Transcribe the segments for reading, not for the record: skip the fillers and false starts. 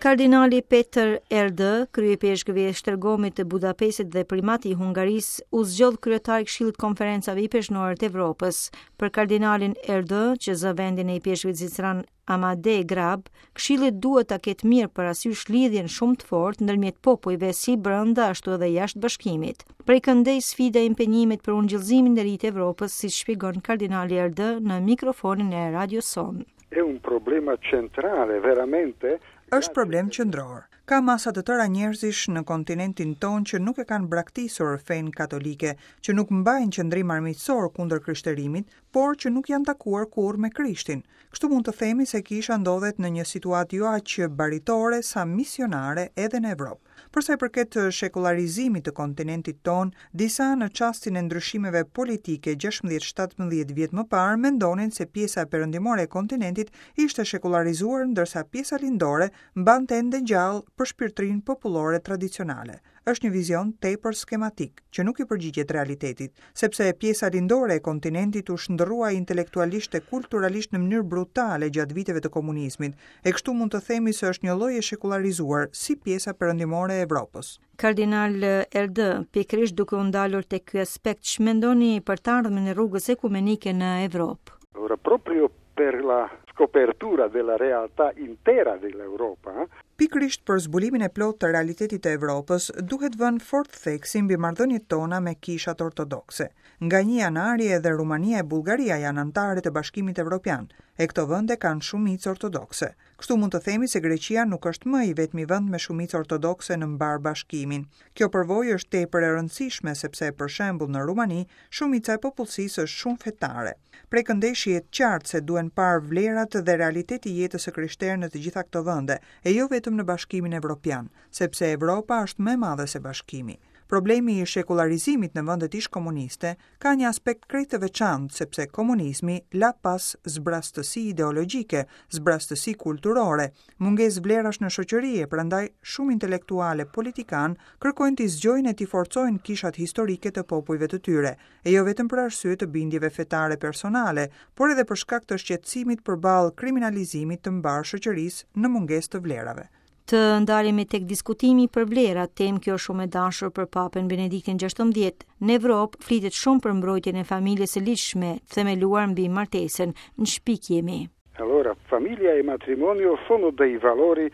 Kardinali Peter Erdő, kryeipeshkëvi i Esztergomit të Budapestit dhe primati i Hungarisë, u zgjodh kryetar i Këshillit të Konferencave Ipeshkvnore të Evropës. Për kardinalin Erdő, që zë vendin e ipeshkvit zviceran Amadé Grab, Këshilli duhet ta ketë mirë parasysh lidhjen shumë të fortë ndërmjet popujve si brenda ashtu edhe jashtë bashkimit. Prej këndej sfida e impenjimit për ungjillëzimin e ri të Evropës, siç shpjegon kardinali Erdő në mikrofonin e radios sonë. È un problema centrale, veramente. Është problem qendror. Ka masa të tëra njerëzish në kontinentin tonë që nuk e kanë braktisur fenë katolike, që nuk mbajnë qëndrim armiqësor kundër krishterimit, por që nuk janë takuar kurrë me Krishtin. Kështu mund të themi se kisha ndodhet në një situatë jo aq baritore sa misionare edhe në Evropë. Për sa i përket shekullarizimit të kontinentit tonë, disa në çastin e ndryshimeve politike 16-17 vjet më parë mendonin se pjesa perëndimore e kontinentit ishte shekullarizuar ndërsa pjesa lindore mbante ende gjallë përshpirtërinë popullore tradicionale. Është një vizion tepër skematik, që nuk i përgjigjet realitetit, sepse pjesa lindore e kontinentit u shndërrua intelektualisht e kulturalisht në mënyrë brutale gjatë viteve të komunizmit, e kështu mund të themi se është një lloj e shekullarizuar si pjesa perëndimore e Evropës. Kardinal Erdő, pikërisht duke u ndalur tek ky aspekt, ç'mendoni për të ardhmen e rrugës ekumenike në Evropë? Ora proprio per la scopertura della realtà intera dell'Europa. Pikërisht për zbulimin e plotë të realitetit të Evropës, duhet vënë fort theksi mbi marrëdhëniet tona me kishat ortodokse. Nga një janari edhe Rumania e Bullgaria janë anëtare të Bashkimit Evropian, e këto vende kanë shumicë ortodokse. Kështu mund të themi se Greqia nuk është më i vetmi vend me shumicë ortodokse në mbarë Bashkimin. Kjo përvojë është tepër e rëndësishme sepse për shembull në Rumani shumica e popullsisë është shumë fetare. Prej këndej shihet qartë se duhen parë vlerat dhe realiteti i jetës së krishterë në të gjitha këto vende, e jo vetëm në Bashkimin Evropian, sepse Evropa është më e madhe se Bashkimi. Problemi i shekullarizimit në vendet ish-komuniste ka një aspekt krejt të veçantë sepse komunizmi la pas zbrastësi ideologjike, zbrastësi kulturore, mungesë vlerash në shoqëri e prandaj shumë intelektualë e politikanë kërkojnë t'i zgjojnë e t'i forcojnë kishat historike të popujve të tyre, e jo vetëm për arsye të bindjeve fetare personale, por edhe për shkak të shqetësimit përballë kriminalizimit të mbarë shoqërisë në mungesë të vlerave. Të ndalemi tek diskutimi për vlerat, temë kjo shumë e dashur për Papën Benediktin XVI. Në Evropë flitet shumë për mbrojtjen e familjes së ligjshme, themeluar mbi martesën. Në ç'pikë jemi. Allora, famiglia e matrimonio sono dei valori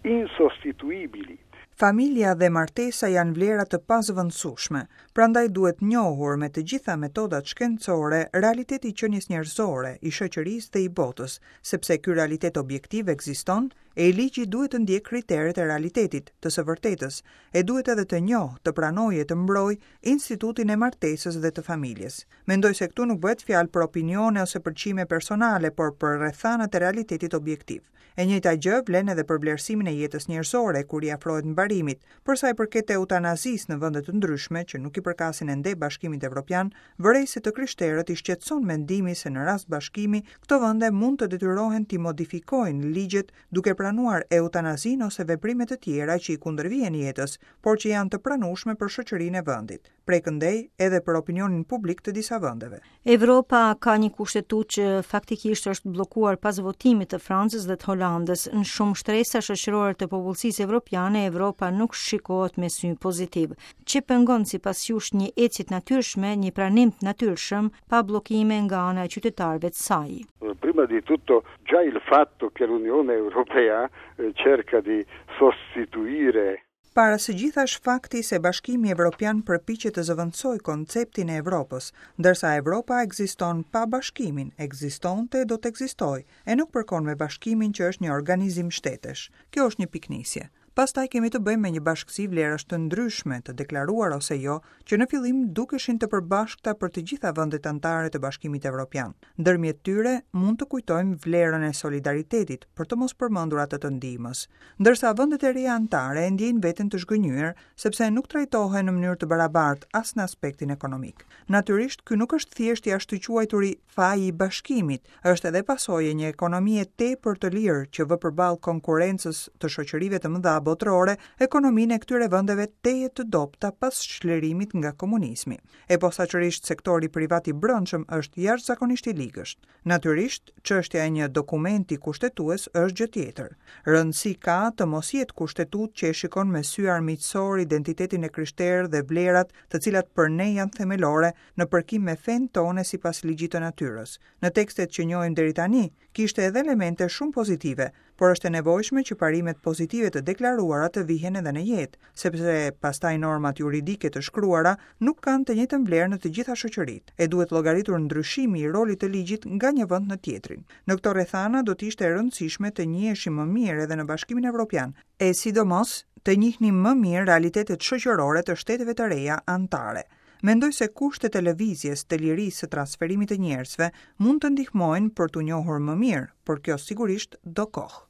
insostituibili. Familja dhe martesa janë vlera të pazëvendësueshme, prandaj duhet njohur me të gjitha metodat shkencore realiteti i qenies njerëzore, i shoqërisë dhe i botës, sepse ky realitet objektiv ekziston E ligji duhet të ndjekë kriteret e realitetit, të së vërtetës, e duhet edhe të njohë, të pranojë e të mbrojë institutin e martesës dhe të familjes. Mendoj se këtu nuk bëhet fjalë për opinione ose pëlqime personale, por për rrethanat e realitetit objektiv. E njëjta gjë vlen edhe për vlerësimin e jetës njerëzore kur i afrohet mbarimit. Për sa i përket eutanazisë në vende të ndryshme që nuk i përkasin ende Bashkimit Evropian, vërej se të krishterët i shqetëson mendimi se në rast bashkimi, këto vende mund të detyrohen t'i modifikojnë ligjet duke pranuar eutanazinë ose veprime të tjera që i kundërvihen jetës, por që janë të pranueshme për shoqërinë e vendit. Prej këndej edhe për opinionin publik të disa vendeve. Evropa ka një kushtetutë që faktikisht është bllokuar pas votimit të Francës dhe të Holandës. Në shumë shtresa shoqërore të popullsisë evropiane, Evropa nuk shikohet me sy pozitiv. Ç'e pengon sipas jush një ecje të natyrshme, një pranim të natyrshëm, pa bllokime nga ana e qytetarëve të saj? Prima di tutto, già il fatto che l'Unione Europea eh, cerca di sostituire Para së gjithash fakti se Bashkimi Evropian përpiqet të zëvendësojë konceptin e Evropës, ndërsa Evropa ekziston pa Bashkimin, ekzistonte e do të ekzistojë, e nuk përkon me Bashkimin që është një organizim shtetesh. Kjo është një pikënisje. Pastaj kemi të bëjmë me një bashkësi vlerash të ndryshme, të deklaruara ose jo, që në fillim dukeshin të përbashkëta për të gjitha vendet anëtare të Bashkimit Evropian. Ndërmjet tyre mund të kujtojmë vlerën e solidaritetit, për të mos përmendur atë të ndihmës. Ndërsa vendet e reja anëtare e ndjejnë veten të zhgënjyer, sepse nuk trajtohen në mënyrë të barabartë as në aspektin ekonomik. Natyrisht, ky nuk është thjesht i ashtuquajturi faji i bashkimit, është edhe pasojë e një ekonomie tepër të lirë që vë përballë konkurrencës të shoqërive të mëdha botërore. botërore ekonominë e këtyre vendeve tejet të dobëta pas çlirimit nga komunizmi. E posaçërisht sektori privat i brendshëm është jashtëzakonisht i ligësht. Natyrisht, çështja e një dokumenti kushtetues është gjë tjetër. Rëndësi ka të mos jetë kushtetutë që e shikon me sy armiqësor identitetin e krishterë dhe vlerat të cilat për ne janë themelore në përkim me fenë tonë sipas ligjit të natyrës. Në tekstet që njohim deri tani, kishte edhe elemente shumë pozitive, por është e nevojshme që parimet pozitive të deklaruara të vihen edhe në jetë, sepse pastaj normat juridike të shkruara nuk kanë të njëjtën vlerë në të gjitha shoqëritë, e duhet llogaritur ndryshimi i rolit të ligjit nga një vend në tjetrin. Në këto rrethana do të ishte e rëndësishme të njiheshim më mirë edhe në Bashkimin Evropian, e sidomos të njihnim më mirë realitetet shoqërore të shteteve të reja anëtare. Mendoj se kushtet e lëvizjes, të lirisë së transferimit të njerëzve mund të ndihmojnë për t'u njohur më mirë, por kjo sigurisht do kohë.